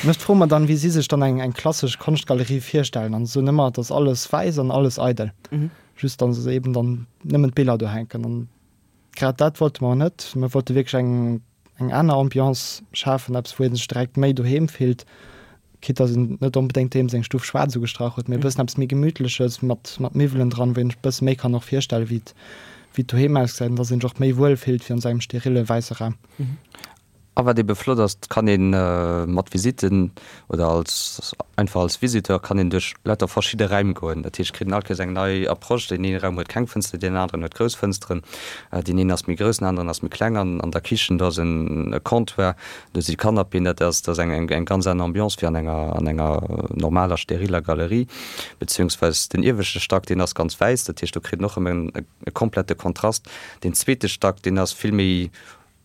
An oft froe mer dann, wéi si sech dann eng eng klassesch Konschtgalerie virstellen. An se soen ëmmer, et ass alles wäiss an alles eidel. Just datt se eben dann nëmmen d'Biller do hänken. An Grad dat wollte mer net. Mir wollte wierklech eng eng aner Ambiance schafen, eppes wou ee sech direkt méi doheem fillt, quitte dass een net onbedéngt doheem seng Stuff schwaarz ugestrach huet, mee e bëssen eppes méi Gemütleches mat mat Miwwelen dran, wou een sech e bësse méi kann och virstellen, wéi et wéi et doheem ausgesäit an dass een sech och méi wuel fillt wéi an esou engem sterille wäisse Raum. A wat ebe flott ass, et kann ee mat Visitten oder als einfach als Visiteur kann een duerch lauter verschidde Räim goen. Dat heescht, et kritt een all Kéiers eng nei Approche. Deen een Raum huet keng Fënster, deen aneren huet grouss Fënsteren. Deen een ass méi grouss, den aneren ass méi kleng. An an der Kichen, do ass en e Comptoir, do si Canapéen. Dat ass dat ass eng eng ganz aner Ambiance wéi an enger an enger normaler steriller Galerie. Beziehungsweis den ieweschte Stack, deen ass ganz wäiss. Dat heescht, do kritt een och erëm e e komplette Kontrast. Deen zweete Stack, deen ass vill méi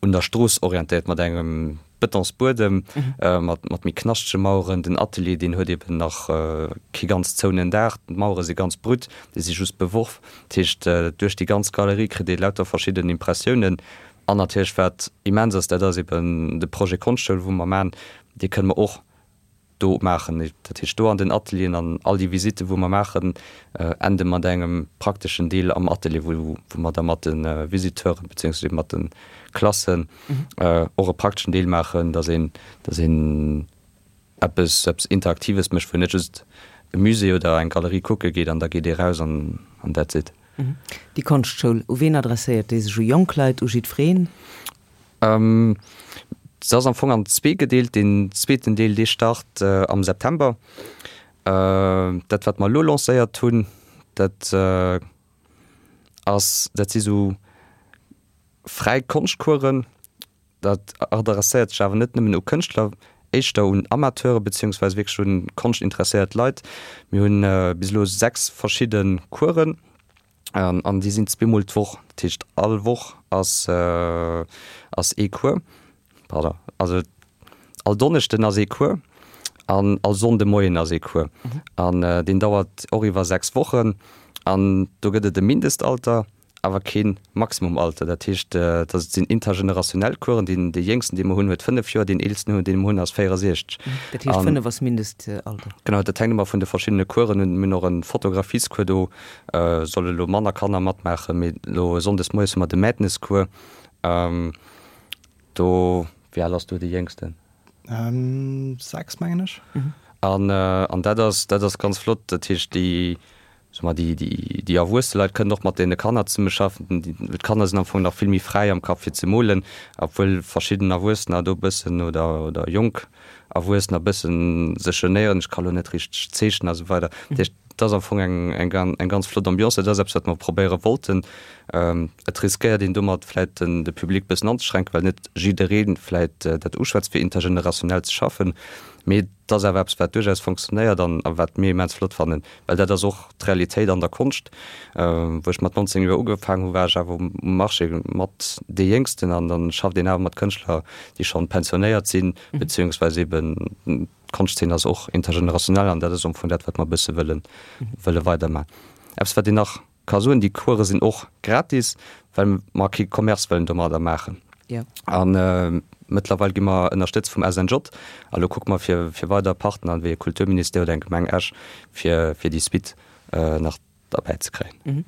un der Strooss orientéiert mat engem Betonsbuedem, mat mat méi knaschtege Maueren. Den Atelier, deen huet eben nach kee ganz zouenen Daach, d'Mauere si ganz brut, déi si just beworf. Dat heescht, duerch déi ganz Galerie kritt ee lauter verschidden Impressiounen. An natierlech, wat immens ass, dat ass eben de Projet Konschtchoul, wou mer maachen, dee kënne mer och do maachen. Dat heescht do an den Atelieren an all déi Visitten, wou mer maachen, ende mat engem prakteschen Deel am Atelier, wou mer da mat de Visiteuren beziehungsweise mat de Klassen och e prakteschen Deel maachen, dass een, dass een eppes, eppes Interaktives mécht, wou een net just e Musée oder eng Galerie kucke geet an da geet ee raus an that's it. Déi Konschtschoul, u ween adresséiert déi sech? U jonk Leit, u jiddwereen? Se ass am Fong an zwee gedeelt. Deen zweeten Deel, dee start am September. Dat, wat mer elo lancéiert hunn, dat ass, dat si sou. Fräi Konschtcoursen, dat adresséiert sech awer net nëmmen u Kënschtler, éischter un Amateure beziehungsweise wierklech un konschtinteresséiert Leit. Mir hunn bis elo 6 verschidde Coursen an déi sinn zweemol d'Woch. Dat heescht all Woch ass ass ee Cours, pardon, also all Donneschden ass ee Cours an all Sonnde Moien ass ee Cours an deen dauert och iwwer 6 Wochen an do gëtt et e Mindestalter. awer keen Maximumalter. Dat heescht, dass et sinn intergenerationell Coursen. Deen, dee Jéngsten, dee mer hunn, huet 5 Joer, deen Eelsten, dee mer hunn, ass 64. Dat heescht, 5 ass Mindestalter? Genau, dat hänkt ëmmer vun de verschiddene Coursen un. Mir hunn och e Fotografiescours, do solle lo manner Kanner matmaachen, mee lo sonndes moies hu mer de Madness-Cours. Do, wéi al ass do dee Jéngsten? 6, mengen ech. An, an dat ass, dat ass ganz flott. Dat heescht, déi, soe mer, déi, déi, déi erwuesse Leit kënnen och mat deene Kanner zesummeschaffen. D'Kanner sinn am Fong nach vill méi fräi am Kapp fir ze molen, obwuel verschidden Erwuessener do e bëssen oder, oder jonk Erwuessener e bëssen sech genéieren, ech ka lo net richteg zeechnen a sou weider. Dat heescht, et ass am Fong eng, eng, eng ganz flott Ambiance. Dat ass eppes, wat mer probéiere wollten. Et riskéiert een domat vläit den, de Public e bëssen anzeschränken, well net jidderee vläit dat uschwätzt, fir intergenerationell ze schaffen. Mee et ass awer eppes, wat duerchaus fonctionnéiert an a wat mir immens flott fannen, well dat ass och d'Realitéit an der Konscht. Wou ech mat 19 Joer ugefaangen hu, war ech awer um Marché mat dee Jéngsten an dann schafft een awer mat Kënschtler, déi schonn pensionéiert sinn, beziehungsweise eben d'Konschtzeen ass och intergenerationell an dat ass am Fong dat, wat mer e bësse wëllen, wëlle weidermachen. Eppes, wat een nach ka soen, déi Course sinn och gratis, well mer kee Commerce wëllen domadder maachen. A mëttlerweil gi mer ënnerstëtzt vum SNJ. A lo kucke mer fir, fir weider Partner wéi e Kulturministère oder eng Gemeng Esch, fir, fir déi Suite nach derbäi ze kréien.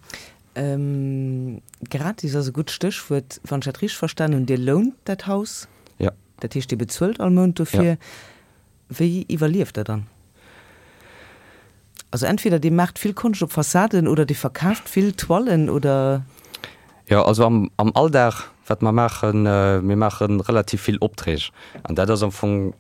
Gratis ass e gutt Stéchwuert. Wann ech dat richteg verstan hunn, Dir lount dat Haus? Jo. Dat heescht, Dir bezuelt all Mount dofir. Wéi iwwerlieft der dann? Also entweder dir maacht vill Konscht op Fassaden oder dir verkaaft vill Toilen oder? Jo, also am am Alldag, wat mer maachen, mir maache relativ vill Opträg an dat ass am Fong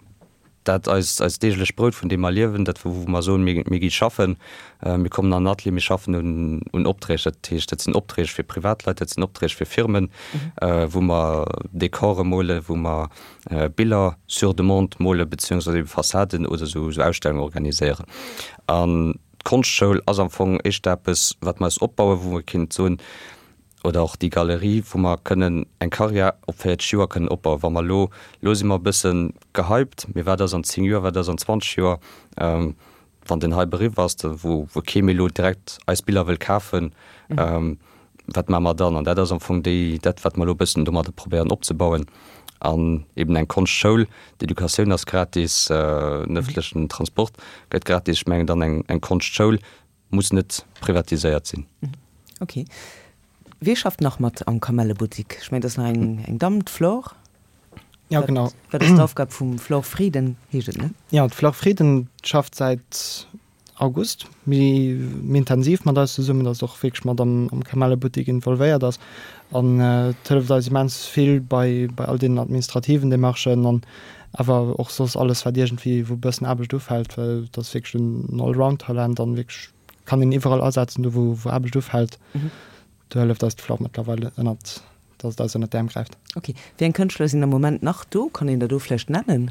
dat eist eist deeglecht Brout, vun deem mer liewen, dat wou mer soen, mir mir gi schaffen, mir kommen an den Atelier, mir schaffen un un Opträg. Dat heescht, dat sinn Opträg fir Privatleit, dat sinn Opträg fir Firmen, wou mer Dekore molen, wou mer Biller sur demande mole beziehungsweise eben Fassaden oder sou Ausstellungen organiséieren. An d'Konschtschoul ass am Fong éischter eppes, wat mer eis opbauen, wou mer kinnt soen, oder och déi Galerie, wou mer kënnen eng Karriär op 40 Joer kënnen opbauen. Wa mer elo, elo si mer e bësse gehypt, mee wat ass an 10 Joer, wat ass an 20 Joer? Wann den Hype eriwwer ass, da wou kee méi elo direkt eis Biller wëll kafen, wat maache mer dann? An dat ass am Fong déi, dat wat mer elo e bëssen domadder probéieren opzebauen. An eben eng Konschtschoul, d'Educatioun ass gratis, den ëffentlechen Transport gëtt gratis. Ech mengen dann eng eng Konschtschoul muss net privatiséiert sinn. Ok. Wie schafft nach mat am Kamellebuttik? Ech mengen, et ass nach eng eng Damm, d'Flore? Ja, genau. Wat ass d'Aufgab vum Flore Frieden, heescht et, ne? Ja, d'Flore Frieden schafft säit August méi méi intensiv mat eis zesummen, ass och wierklech mat am am Kamellebuttik involvéiert ass an et hëlleft eis immens vill bei bei all deenen administrativen Demarchen an awer och soss alles wat iergendwéi wou e bëssen Aarbecht ufält, well et ass wierklech en Allround-Talent an wierklech kann een iwwerall asetzen do wou wou Aarbecht ufält. Do hëlleft eis d'Flore mëttlerweil ënnert dass et eis ënnert d'Äerm gräift. Ok. Wéi eng Kënschtler sinn am Moment nach do? Kann een der do vläicht nennen,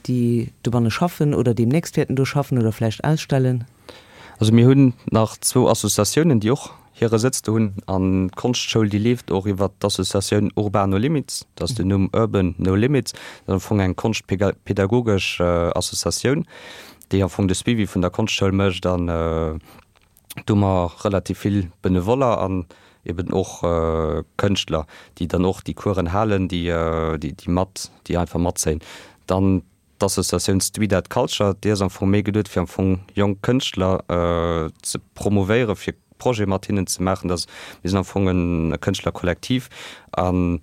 déi dobanne schaffen oder deemnächst wäerten do schaffen oder vläicht ausstellen? Also mir hunn nach zwou Associatiounen, déi och hire Sëtz do hunn. An d'Konschtschoul, déi leeft och iwwert d'Associatioun Urban No Limits, dat ass den Numm Urban No Limits. Dat ass am Fong eng konschtpedagogesch Associatioun, déi am Fong de Suivi vun der Konschtschoul mécht an, Do hu mer relativ vill Benevoller an eben och Kënschtler, déi dann och déi Coursen halen, déi déi mat, déi einfach matzéien. Dann d'Associatioun Street Art Culture, déi ass am Fong méi geduet, fir am Fong jonk Kënschtler ze promouvéieren, fir Projete mat hinnen ze maachen. Dat ass, mir sinn am Fong e Kënschtlerkollektiv an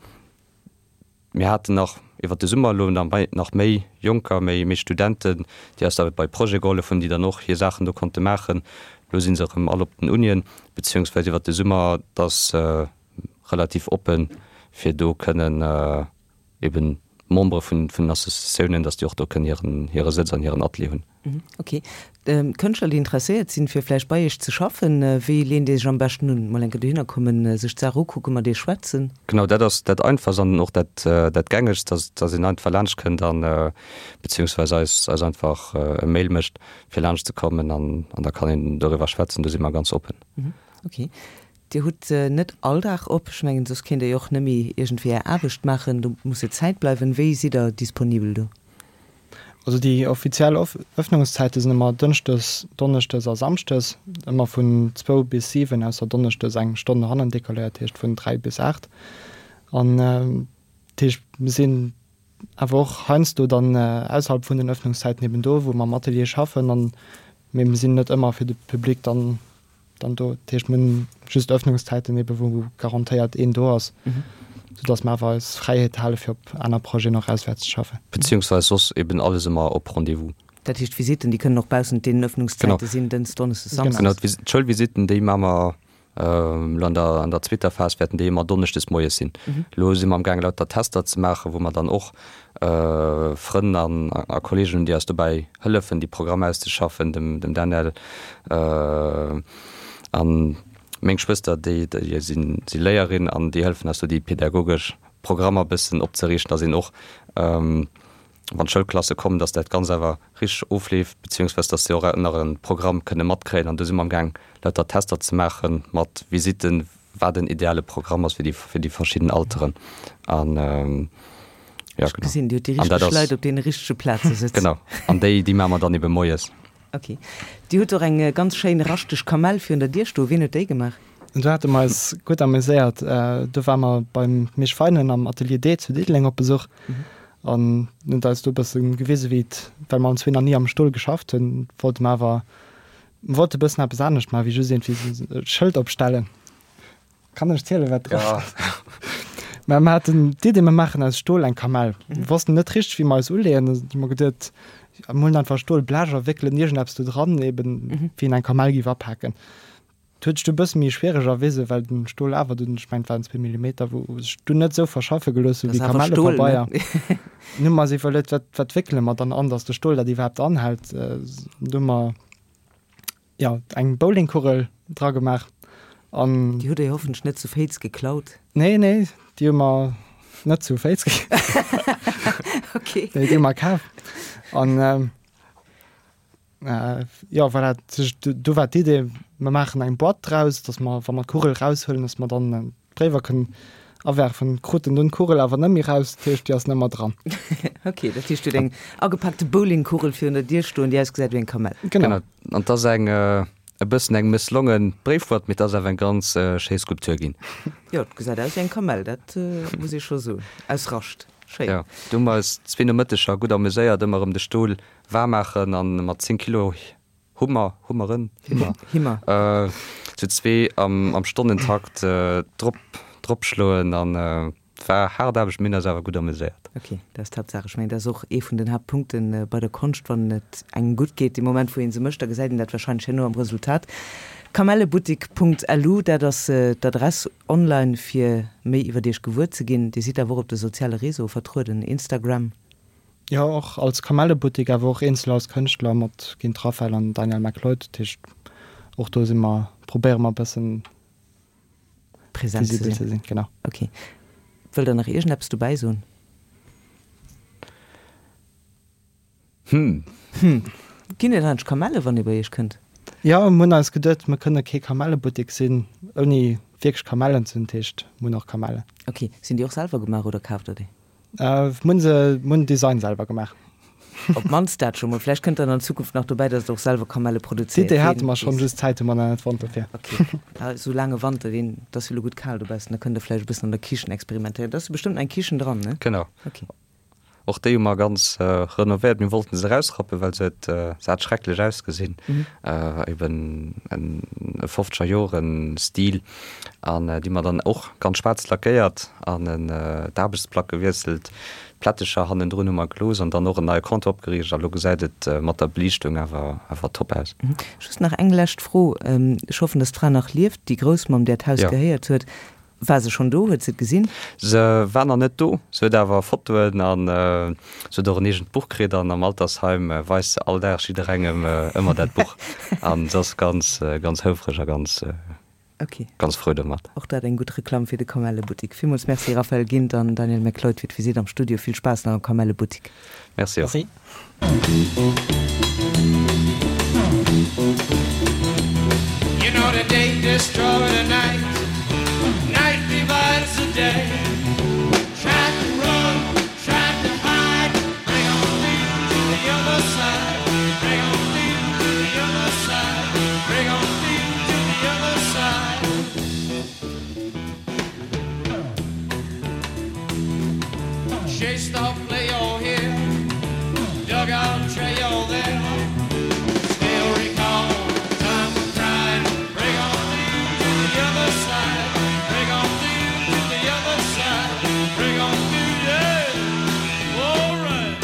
Mir haten nach iwwert de Summer elo nach méi Jonker, méi méi Studenten, déi eis da bei Projete gehollef hunn, déi dann och hir Saachen do konnte maachen. Elo si se erëm all op den Unien, beziehungsweise iwwert de Summer, et ass relativ oppen, fir do kënnen eben Membere vun den Associatiounen, datt déi och do kënnen hiren hire Sëtz an hiren Atelier hunn. Ok. Kënschtler, déi interesséiert sinn, fir vläicht bei Iech ze schaffen, wéi leent Dir sech am beschten un? Mol eng Kéier dohinner kommen, sech d'Saach ukucken, mat Iech schwätzen? Genau, dat ass dat Einfachst an och dat dat Gängegst, dass dass een einfach laanscht kënnt an beziehungsweis eis eis einfach e Mail mécht, fir laanscht ze kommen an an da kann een doriwwer schwätzen. Do si mer ganz oppen. Ok. Dir hutt net all Dag op. Ech mengen, soss kéint Dir jo och net méi iergendwéi Är Aarbecht maachen. Do muss jo Zäit bleiwen. Wéi sidd Der disponibel do? Also déi offiziell Ëffnungszäite sinn ëmmer Dënschdes, Donneschdes a Samschdes, ëmmer vun zwou bis 7, ausser Donneschdes eng Stonn no hannen decaléiert, heescht vun 3 bis 8. An dat heescht, mir sinn awer och heiansdo dann ausserhalb vun den Ëffnungszäiten eben do, wou mer am Atelier schaffen, an, mee mir sinn net ëmmer fir de Public dann Dann do, dat heescht mir hunn just Öffnungszäiten ebe wou garantéiert een do ass, soudass mer awer eis Fräiheet hale fir op aner Projeten och auswäerts ze schaffen. Beziehungsweis soss eben alles ëmmer op Rendez-vous. Dat heescht d'Visitten, déi kënnen och baussent deenen Öffnungszäite sinn, Dënns, Donneschdes, Samsdes? Genau, d'Schoulvisitten, déi maache mer elo an der an der zweeter Phas wäerten déi ëmmer donneschdes moies sinn. Elo si mer amgaang lauter Tester ze maachen, wou mer dann och Frënn an a Kollegen hunn, déi eis dobäi hëllefen, déi Programmer auszeschaffen, dem dem Daniel an meng Schwëster, déi déi sinn si Léierin an déi hëllefen eis do déi pädagogesch Programmer bëssen opzeriichten, dass een och wann d'Schoulklasse kommen, dass dat Ganzt awer richteg ofleeft, beziehungsweise dass si och nach e Programm kënne matkréien. An do si mer amgaang lauter Tester ze maache mat Visitten, wat en ideale Programm ass fir déi fir déi verschidden Alteren an ja genau. Gesinn, Dir hutt déi richteg Leit op deene richtege Plaze sëtzen. Genau, an déi déi maache mer dann ebe moies. Ok. Dir hutt och eng ganz schéin raschteg Kamell virun der Dier stoen. Wien huet déi gemaach? Do hate mer eis gutt ameséiert. Do ware mer beim Misch Feinen am Atelier D zu Diddeleng op Besuch an en huet eis do e bësse gewise wéi et, well mer allenzwee nach ni am Stol geschafft hunn, wollte mer awer Mer wollte bëssen eppes anescht maachen, wéi just iergendwéi esou e Schëld opstellen. Kann ech zielen, wat drop Ja. ass? Mä mer haten d'Idee, mer maachen aus Stol eng Kamell. Mer wossten net richteg, wéi mer eis uleeën. Da hu mer geduet, ja, mer huelen einfach Stolblech a wéckelen iergendeppes do dran, eben wéi een eng Kamell géif apaken. Et huet sech du e bësse méi schwiereg erwisen, well den Stol awer dunn, ech mengen et waren zwee Millimeter, wou sech dunn net esou verschaffe gelooss hu wéi Kamellepabeier. Dann hu mer eis iwwerluet, wat, wat wéckele mer dann an, datt de Stol dat iwwerhaapt anhält. Du hu mer, jo, eng Bowlingkugel dra gemaach an. Déi hutt Der jo hoffentlech net zu Féiz geklaut? Nee, nee, déi hu mer net zu Féiz geklaut. Okay. Nee, déi hu mer kaf. An. Jo, voilà, do war d'Idee, mer maachen eng Boîte draus, datt mer, wa mer d'Kugel eraushuelen, datt mer dann d'Bréiwer kënnen awerfen. Kruten dunn d'Kugel awer net méi eraus, dat heescht, déi ass net méi dran. Ok, dat heescht, dir hutt eng agepaakte Bowlingkugel virun der Dier stoen, déi ausgesäit wéi eng Kamell. Genau. An 't ass eng, e bëssen eng mësslonge Bréifboîte, mee 't ass awer eng ganz schéi Skulptur ginn. Jo, et gesäit aus wéi eng Kamell, dat muss ee scho soen. Aus Rascht. Schéin. Jo, do hu mer eis zwee Nomëtteger gutt ameséiert, ëmmer erëm de Stol Waarm maachen an mat 10 Kilo Hummer, Hummeren, Himmer, Himmer. Zu zwee am am Stonnentakt drop drop schloen an et war haart Aarbecht, mir hunn eis awer gutt ameséiert. Ok, dat ass d'Haaptsaach. Ech mengen, dat ass och ee vun den Haaptpunkten bei der Konscht, wann et engem gutt geet, dee Moment wou ee se mécht, da gesäit een dat wahrscheinlech herno am Resultat. Kamellebuttik.lu, dat ass d'Adress online fir méi iwwert iech gewuer ze ginn. Dir sidd awer och op de soziale Réseaue vertrueden, Instagram? Jo, och als Kamellebuttik, awer och eenzel als Kënschtler mat Gint Raphael an Daniel MacLeod. Dat heescht, och do si mer, probéiere mer e bëssen Present ze visibel ze sinn. Genau. Ok. Wëllt Der nach iergendeppes dobäi soen? Hm. Hm. Ginn et eigentlech Kamelle wann ee bei Iech kënnt? Jo, mir hunn eis geduet, mir kënne kee Kamellebuttik sinn, ouni wierklech Kamellen ze hunn. Dat heescht, mir hunn och Kamellen. Ok. Sinn déi och selwer gemaach oder kaaft Der déi? Mir hunn se, mir hunn den Design selwer gemaach. Op d'mannst dat scho mol. Vläicht kënnt dann an Zukunft nach dobäi, datt Der och selwer Kamelle produzéiert. D'Idee hate mer schonn, just d'Zäit hu mer nach net fonnt dofir. Ok. Esou laange Wanter, deen, et ass jo elo gutt kal dobaussen, da kënnt Der vläicht e bëssen an der Kichen experimentéieren. Et ass jo bestëmmt nach eng Kichen dran, ne? Genau. Ok. Och déi hu mer ganz renovéiert. Mir wollten se erausrappen, well se huet, se hat schrecklech ausgesinn. Eben en fofzeger Joren Stil. An déi hu mer dann och ganz schwaarz lackéiert an en d'Aarbechtsplack gewiesselt. D'Plättecher hannendrun hu mer gelooss an dann och en neie Comptoir opgeriicht. A lo gesäit et mat der Beliichtung awer awer top aus. Just nach eng lescht Fro, Ech hoffen, dass d'Fra nach lieft, déi Groussmamm, där d'Haus gehéiert huet. War se schonn do? Huet se et gesinn? Se war nach net do. Se huet awer Fotoen an se huet och en eegent Buch kritt an am Altersheim weist se all Dag jidderengem ëmmer dat Buch an se ass ganz, ganz houfreg a ganz, ganz frou domat. Och dat eng gutt Reklamm fir de Kamellebuttik. Villmools Merci Raphael Gindt an Daniel McLeod fir d'Visitt am Studio. Vill Spaass nach am Kamellebuttik. Merci och. Merci. You know the day destroy the night, night divides the day. Try to run, try to hide, bring on through to the other side, bring on through to the other side, bring on through to the other side. Chased off play all here, dug out trail there. Still recall time of crying. Bring on through to the other side. Bring on through to the other side. Bring on through, yeah. All right.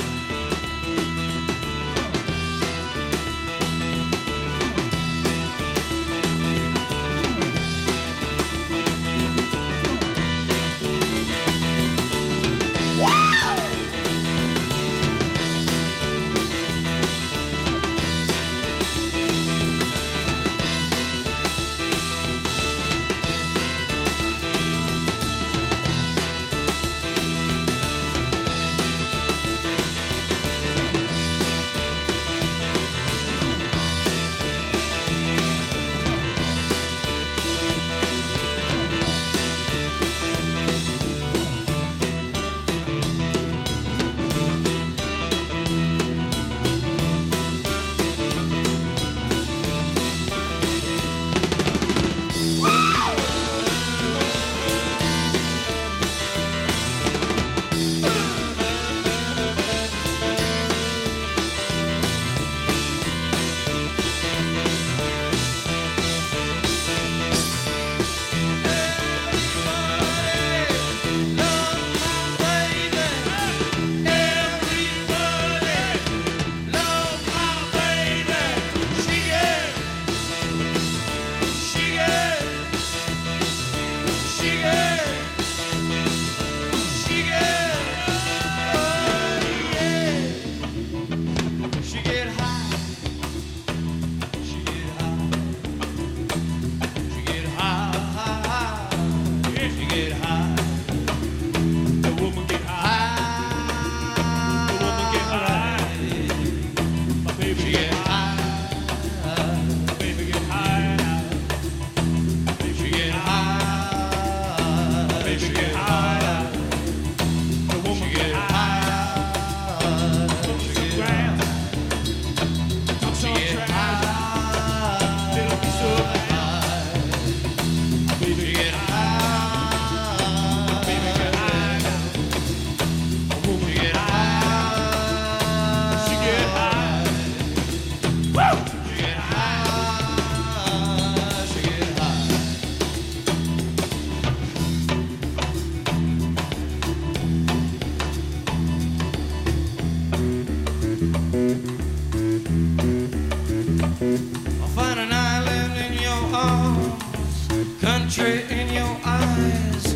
Country in your eyes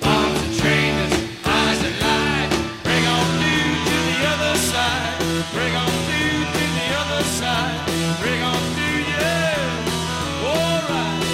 Arms are trainers, eyes that lie Bring on through to the other side Bring on through to the other side Bring on through, yeah All right.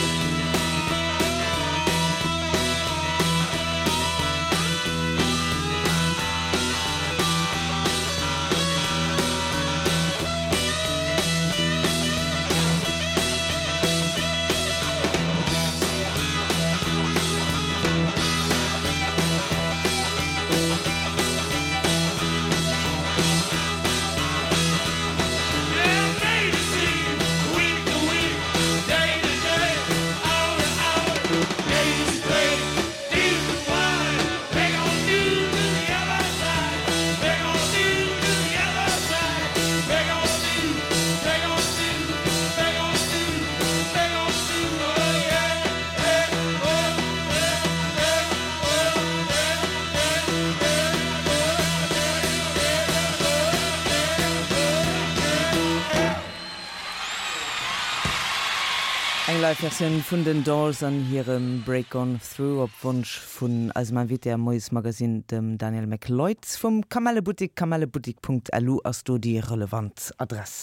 Eng Live Versioun vun den Doors an hirem Break On Through op Wonsch vun eisem Invité am Moiesmagazine, dem Daniel McLeod vum Kamellebuttik. Kamellebuttik.lu ass do déi relevant Adress.